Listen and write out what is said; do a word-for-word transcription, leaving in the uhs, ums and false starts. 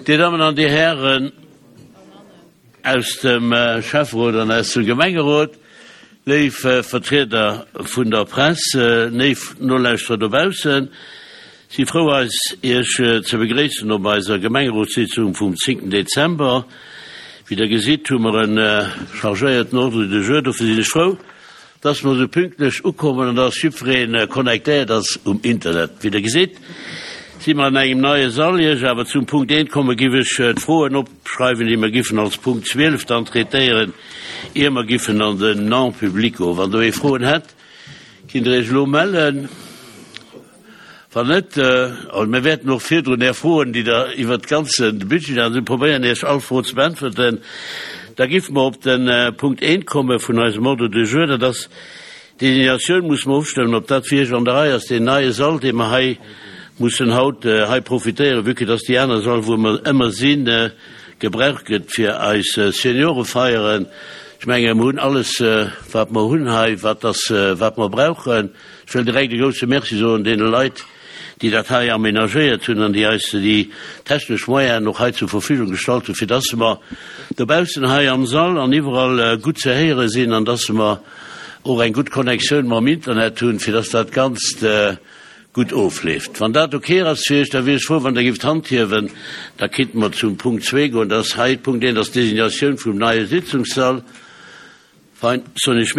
Dir Dammen an Dir Hären aus dem Schäfferot an aus dem Gemengerot, léif Vertrieder vun der Press, léif Nolauschterer dobaussen, si frou eis Iech ze begréissen op eiser Gemengerotssitzung vum zéngten Dezember. Wéi Der gesitt, hu mer e chargéierten Ordre du jour. Dofir sinn ech frou, dass mer esou pünktlech ukommen an dass jiddweree connectéiert ass um Internet. Wéi Der gesitt, si mer an engem neie Sall. Ier ech awer zum Punkt eent komme, giff ech d'Froen opschreiwen, déi mer giffen als Punkt zwielef dann traitéieren, ier mer giffen an den Non-public goen. Wann do ee Froen hätt, kinnt Der Iech elo mellen. Wann net, also mir wäerten och virdrun Är Froen, déi Der iwwert de ganze Budget hat, probéieren Iech all Fro ze beäntwerten. Da giffe mer op de Punkt eent komme vun eisem Ordre du jour, dat ass d'Designatioun, musse mer ofstëmmen, ob dat fir Iech an der Rei ass, deen neie Sall, dee mer hei mussen haut hei profitéieren, vue que dass déi aner Sall, wou mer ëmmer sinn, gebraucht gëtt fir eis Seniorefeieren. Ech menge mer hunn alles, wat mer hunn hei, wat ass, wat mer brauchen. Ech wëll direkt e grousse Merci soen deene Leit, déi dat hei aménagéiert hunn an déi eis déi technesch Moyenen och hei zur Verfügung gestallt hunn, fir dass mer dobaussen hei am Sall an iwwerall gutt ze héiere sinn an dass mer och eng gutt Connectioun mam Internet hunn, fir dass dat Ganzt gutt ofleeft. Wann dat ok ass fir Iech, da wier ech frou, wann Der géift d'Hand hiewen. Da kinnte mer zum Punkt zwee goen. Dat ass hei Punkt eent, ass d'Designatioun vum neie Sitzungssall. Fein, soen ech Merci.